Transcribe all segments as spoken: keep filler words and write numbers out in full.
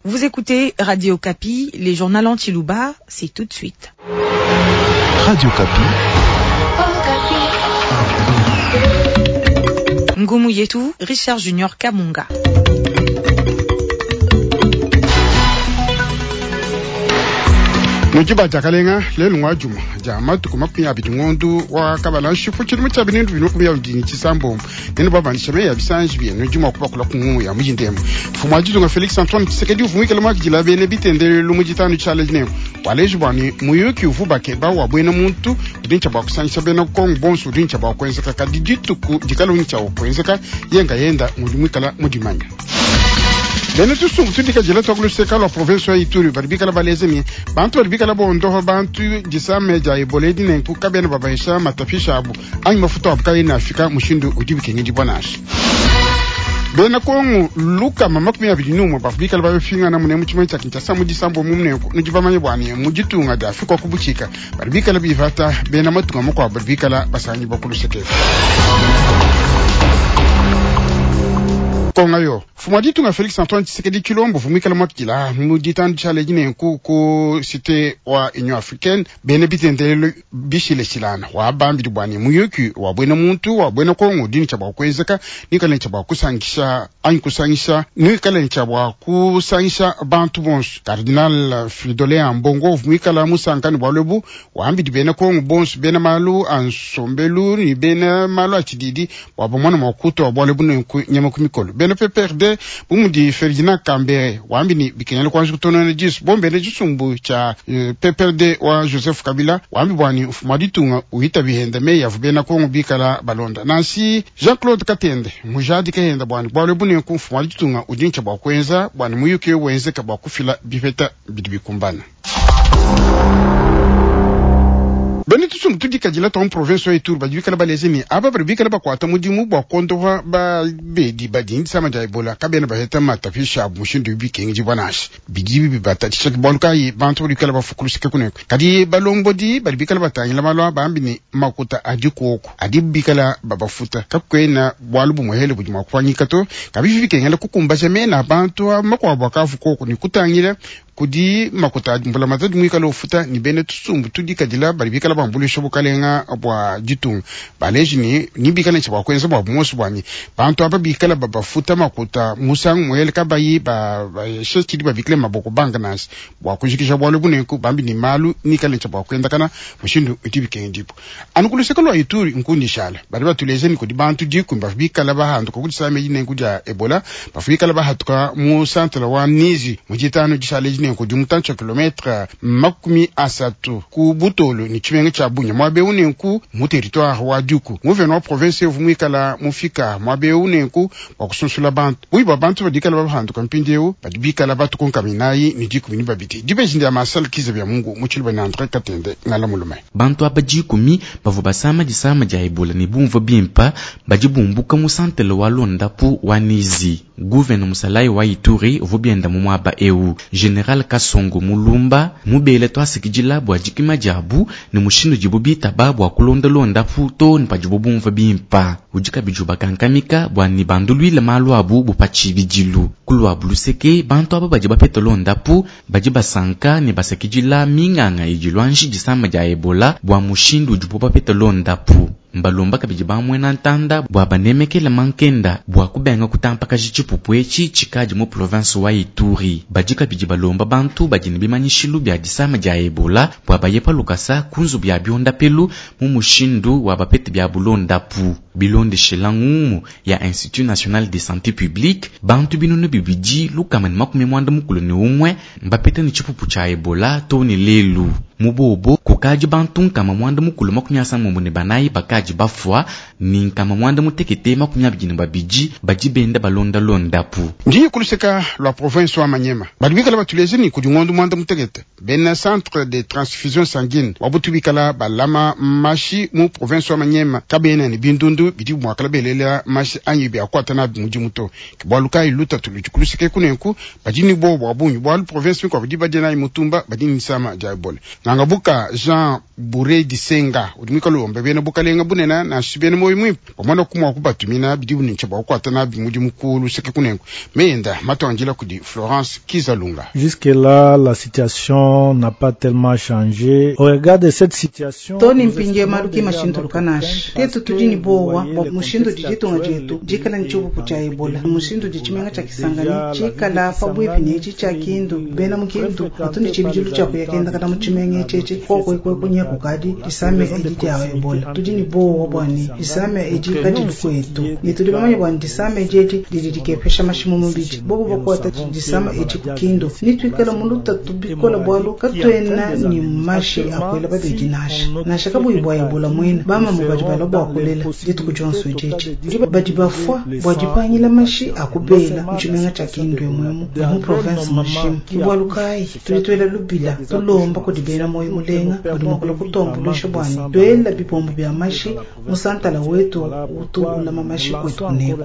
Vous écoutez Radio Okapi, les journaux en tshiluba, c'est tout de suite. Radio Okapi. Ngumu Yetu, Richard Junior Kamunga. Nudi badiakalenga lelu ngwa juma dia matuku makumi abidi ngondu wa kabala nshifu tshidimu tshia bintu binu makumi abidi ne tshisambombo nenu babandisha meyi ya bisanji bienu di mua kubakula ku ngumu ya mujindembo. Mfumu wa ditunga Felix Antoine Tshisekedi uvua muikale muakidila bena bitendelelu mu ditanu tshiala dinene waleji bua ne muyuki uvua bakeba wa buena muntu udi ntshia bua kusangisha bena Kongo bonso udi ntshia bua kuenzeka kadi dituku dikala ntshia kuenzeka yenga yenda mudi muikala mudimanya. Bena tusumbu tudikadila twa kuluseka lwa province ya Ituri badi bikala baleze ne bantu badi bikala bondoha bantu disame dia Ebola edi nenku kabena babahisha matapisha abu anyi mafuta abu kaena afika mushindu udi bikengedibua nansha. Bena Kongo lukama makumi abidi n'umwe bavua bikala babifingana mune mu tshimenga tshia Kinshasa mu disambo mu munenku nudi bamanye bua ne mu ditunga dia Afrika ku butshika badi bikala bivata bena matunga makuabu badi bikala basangibua ku luseke. Konga yo mfumu wa ditunga Felix Antoine Tshisekedi Tshilombo uvua muikale muakidila mu ditanu tshiala dinenku ku cité wa Union Africaine bena bitendelelu bishileshilana wa bambidi bua ne muyuki wa buena muntu wa buena Kongo udi ne tshia bua kuenzeka nikale ne tshia bua kusangisha anyi kusangisha nikale ne tshia bua kusangisha bantu bonso. Cardinal Fridolin Ambongo uvua muikala musankane bualu ebu wambidi bena Kongo bonso bena malu a nsombelu ne bena malu a tshididi bua bamone mua kutua bualu ebu nenku nyama ku mikolo. Bena P P R D bu mudi Ferdinand Kambere wambi ni bikengela kuanza kutonona disu bombene tshisumbu tshia P P R D wa Joseph Kabila wambi bua ni mfumu wa ditunga uhita bihenda meyi avua bena Kongo bikala balonda. Nansi Jean-Claude Katende mujadike henda bua ni bualu ebu nenku mfumu wa ditunga udi ntshia bua kuenza bua ni muyuki wenzeka bua kufila bipeta bidi bikumbana. Bena tusumbu tudikadila twa mu province ya Ituri badi bikala baleze ne aba badi bikala bakuata mudimu bua kuondopa babedi badi ne disama dia Ebola kabena baheta matapisha abu mushindu bikengedibua nansha bidi bibatatshisha bualu kayi bantu badi bikala bafukulusike kuneko kadi balombodi badi bikala batangila malu bambi ne makuta adi kuoku adi bikala babafuta kakuena bualu bumuhele budi mua kupangika to kabivi bikengela kukumbaja mena bantu makuabu akavu koku ne kutangila kudi makuta mbula matadi muikala ufuta ni bene tusumbu tudikadila badi bikala bambulisha bukalenga bua ditunga baleji ni ni bikala ntsha bua kuenza bua bumonso buanyi bantu aba bikala babafuta makuta musangu muele kabayi ba shekidi babikile maboko banga nasi bua kujikisha bualu bunenku bambi ni malu nikala ntsha bua kuendakana mushindu udi bikengidipo anu kuluseka lwa Ituri nkundishala badi batuleze ni kudi bantu dikumi bavua bikala bahanduka kudisama dinenku dia Ebola bavua bikala bahatuka mu centre wa Nizi mu ditanu dishala dinenku di mutantshi wa kilometre makumi asatu ku Butolo ni tshimenga tshia Bunia muaba eu nenku mu territoire wa Duku gouverneur wa province uvua muikala mufika muaba eu nenku bua kusunsula bantu buyi bua bantu badi bikala bahanduka mpindieu badi bikala batukonkaminayi ni dikumi ni babidi dibeji ndia Marcel Kiza bya Mungu mu tshiluba ne Andre Katende ngala mulume. Bantu aba dikumi bavua basama disama dia Ebola ne bumvua bimpa badi bumbuka mu santele wa Londapu wa Nizi. Gouverneur Musalai wa Ituri uvua bienda mu muaba eu General Kasongo Mulumba mubele twasikidila bua dikima diabu ne mushindu dibu bitaba bua kulondalonda too ne padibu bumvua bimpa. Udi kabidi ubakankamika bua ne banduluile malu abu bu pa tshibidilu. Kuluabu luseke bantu aba badi bapeta londapu badi basanka ne basakidila minganga idi luanji disama dia Ebola bua mushindu udibu bapeta londapu. Mbalomba kabidi bamwena ntanda bua banemekele mankenda bua kubenga kutampakaji tshipupu etshi tshikadi mu province wa Ituri. Badi kabidi balomba bantu badi ne bimanyishilu bia disama dia Ebola bua baye pa lukasa ku nzubu ya biondapelu mu mushindu wa bapete bia bulondapu. Bilondeshela ngumu ya Institut National de Santé Publique bantu binunu bibidi lukama ne makumi mwanda mukulu ne umwe mbapete ne tshipupu tshia Ebola too ne lelu. Mubobo kukadi bantu nkama mwanda mukulu makumi asambombo ne banayi bakadi bafua ni nkama mwanda mutekete makumi abidi ne babidi badi benda balondalondapu. Ndiye kuluseka lwa province wa Manyema badi bikala batuleze ni kudi ngondo mwanda mutekete bena centre de transfusion sanguine wabutu bikala balama mashi mu province wa Manyema kabena ne bindundu bidi mwakala belela mashi anyi bya kwata na mudimu to bualu kayi lutatu ludi kuluseke kunenku badi ni bo bwa bungi bualu province mikwa badi badi na mutumba badi ni sama dia Ebola. Ngangabuka Jean Bouré Disenga udi mwikala wombe bena bukalenga bunene nansha bena moyo mwimpe bamona kumwa kubatumina bidi bunintsha bwa kukwata nabi mudimu ku luseke kunenku meyenda matwanjila kudi Florence Kizalunga. Jusque-là, la situation n'a pas tellement changé. Au regard de cette situation, toni mpindieu malu ki mashintuluka nansha tetu tudi ne bowa bua mushindu udi ditunga dietu dikala ne tshipupu tshia ebola mushindu udi tshimenga tshia kisangani tshikala pabuipi ne etshi tshia kindu bena mu kindu batu ne tshibidilu tshia kuya kendakana mu tshimenga etshi kokwekwe kukadi disama edi dia ebola tudi ne bowa bua ne disama edi kadilu kwetu ne tudi bamanye bua ne disama edi edi didi dikepesha mashi mu mubidi bobo bakuata disama edi ku kindu ni tuikala mu lutatu bikola bualu katuena ni mashi akwela babedi nansha nansha kabuyi bua ebola mwina bamamu badi balua bua kulela dituku dionso edi edi badi bafua bua dipangila mashi akubela mu tshimenga tshia kindu emwemu ne mu province mujima bualu kayi tudi tuela lubila tulomba kudi bena moyo mulenga badi mua kulua kutuambuluisha bua ne tuela bipombo bia mashi mu santala wetu utu ulama mashi kwetu kuneku.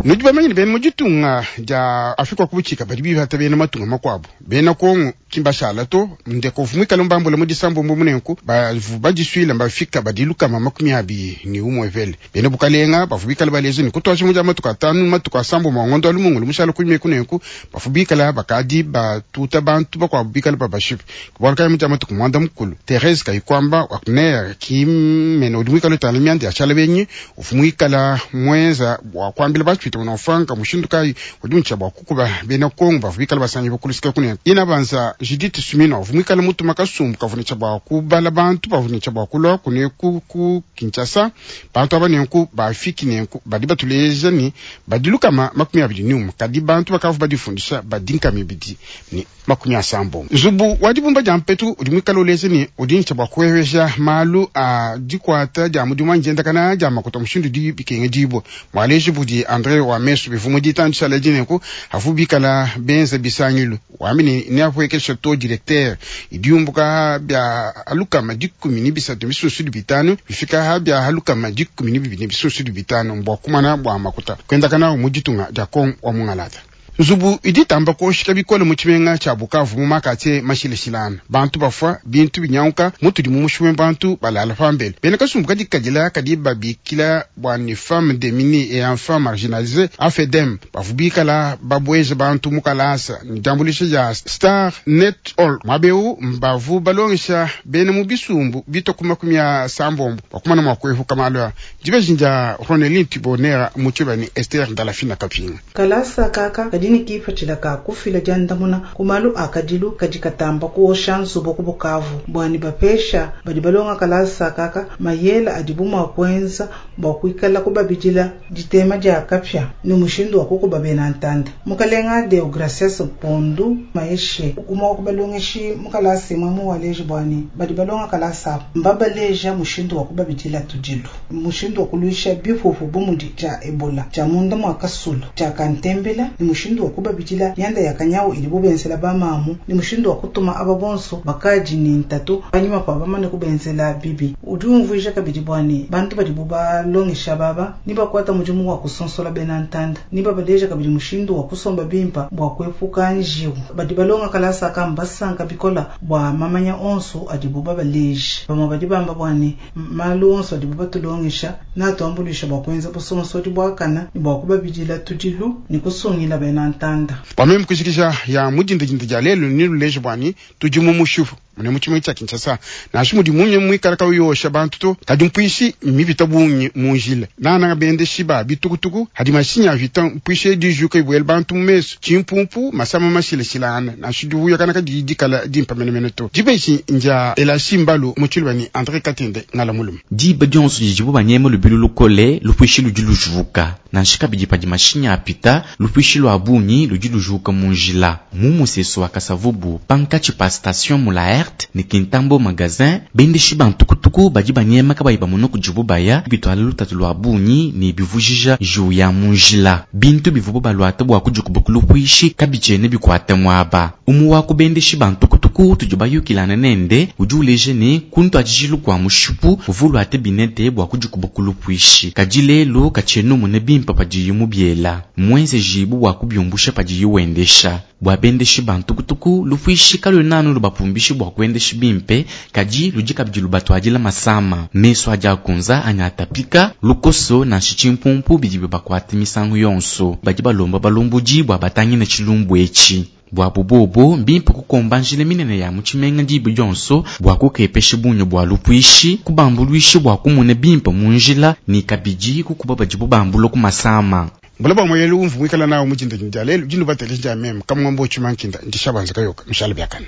Nudi bamanye ne bena mu ditunga dia Afrika ku butshika badi bipata bena matunga makuabu bena Kongo kimbashala to ndeko vumwikala mbambula mu disambombo munenku bavu badisuila mbafika badilukama makumi abili ni umwe vele bena bukalenga bavu bikala baleza ni kutwasha mu dia matuku atanu matuku asambombo ngondo alumungu lumushala kunyime kunenku bavu bikala bakadi batuta bantu bakuabu bikala babashipe kubona kaya mu dia matuku mwanda mukulu Therese Kayikwamba wakuner kimene udi mwikala utala myanda ya shala benyi uvumwikala mwenza bwa kuambila batu unafanga mushindu kayi udi untsha bwa kukuba bena Kongo bavu bikala basanyi bakulusika kunene ina banza Judith Suminwa vumwikala mutu makasumbu kavunitsha bwa kubala bantu bavunitsha bwa kulwa kune ku ku Kinshasa bantu aba nenku bafiki nenku badi batuleja ni badilukama makumi abili ni umwe kadi bantu bakavu badifundisha badinka mibidi ni makumi asambo nzubu wa dibumba dia mpetu udi mwikala uleja ni udi ntsha bwa kuweweja malu a dikwata dia mudimu wa njendakana dia makuta mushindu di bikenge dibwa mwaleji budi Andre wa mesu bivumu ditandisha ledinenku avu bikala benza bisangilu wamini ne apuekesha to directeur idiumbuka bya alukama dikumi ni bisatu bisusu bitanu bifika bya alukama dikumi ni bibini bisusu bitanu mbwa kumana bwa makuta kwendakana mu ditunga dia Kongo wa mungalata. Nzubu iditamba koshika bikole mu tshimenga tshia Bukavu mu makatse mashilashilana bantu bafua bintu binyauka mutudi mu mushume bantu balala pambele bena kasumbu kadi kadila kadi babikila bua ni femme démunie et enfants marginalisés A F E D M bavu bikala babweza bantu mu kalasa ni diambulisha dia Star Net All mwabeu mbavu balongesha bena mu bisumbu bito makumi ya sambombo bakumana mwa kwehuka malwa dibejinja Ronelin Tibonera mu tshibani Esther Ndalafina Kapinga kalasa kaka kadi ni kipatshila ka kufila diandamuna ku malu a kadilu kadi katamba kuosha nzubu ku Bukavu bwani bapesha badi balonga kalasa kaka mayela adibu mua kuenza bua kuikala kubabidila ditema dia kapya ni mushindu wa kukuba bena ntanda mukalenga Deogracias Mpondu Maeshe umwe wa kubalongeshi mukalasa imwe muwaleji bwani badi balonga kalasa mbabaleja mushindu wa kubabidila tudilu mushindu wa kuluisha bipupu bumudi tshia ebola tshia munda mua kasulu tshia kantembela ni mushindu wa kubabidila yanda ya kanyawu ili bubenzela bamamu ni mushindu wa kutuma aba bonso bakaji ni ntatu panyima pa bamane kubenzela bibi udi umvuija kabidi bwani bantu badi bubalongesha baba ni bakwata mudimu wa kusonsola bena ntanda ni babaleja kabidi mushindu wa kusomba bimpa bua kuepuka njiwu badi balonga kalasa kamba basanka bikola bua mamanya onso adibu babaleja bamwe badi bamba bwani malu onso adibu batulongesha natuambulisha bua kuenza busonsodi bwakana ni bua kubabidila tudilu ni kusungila bena ntanda pameme kushikisha ya mudindidindi dia lelu ni luleja bwani tudi mu mushupu mune mu tshimenga tshia Kinshasa nansha mudi munye muikala kawiyosha bantu to kadi mpuishi mipita bungi mu njila nananga bendeshi ba bitukutuku hadi mashinyi avita mpuishi dijuka ibuela bantu mu mesu tshimpumpu masama mashilashilana nansha divuya kana kadi dikala dimpa menemene to dibeshi nja elashi mbalu mu tshiluba ni Andre Katende ngala mulume diba dionso didibu banyema lubilu lukole lupuishi ludi lujuka nansha kabidi padi mashinyi apita lupuishi lwa bungi ludi lujuka mu njila mu musesu wa Kasavubu pankatshi pa station mu Laerte ni Kintambo magasin bendeshi bantukutuku badi banyema kabayi bamona kudibu baya bitwala lutatu lwa bungi ni bivujija njiwu ya mu njila bintu bivubu balwata bua kudikuba ku lupuishi kabitshiene bikwata muaba umu wa kubendeshi bantukutuku tudi bayukilana nende udi uleja ne kuntu atshijilu kua mushipu uvu lwate binete bua kudikuba ku lupuishi kadi lelu katshiena umona bimpa padiyi mubiela mwenze jibu bua kubiumbusha padiyi wendesha bua bendeshi bantukutuku lupuishi kaluena anu lubapumbishi bua kuendeshi bimpe, kadi ludi kabidi lubatuadila masama. Mesu adi akunza anyi atapika, lukoso nansha tshimpumpu bidi bibakuata misangu yonso. Badi balomba balombodi bua batangile tshilumbu etshi. Bua bubobo mbimpe kukomba njila minene ya mu tshimenga diba dionso bua kukepesha bungi bua lupuishi, kubambuluisha bua kumona bimpe mu njila ne kabidi kukuba badibo bambula ku masama. Mbula ba moyelu umvu mwikala nawo mu dinda dia lelu dinu bateleja dia meme kamwambo chimankinda ndishabanza kayoka mshala byakana.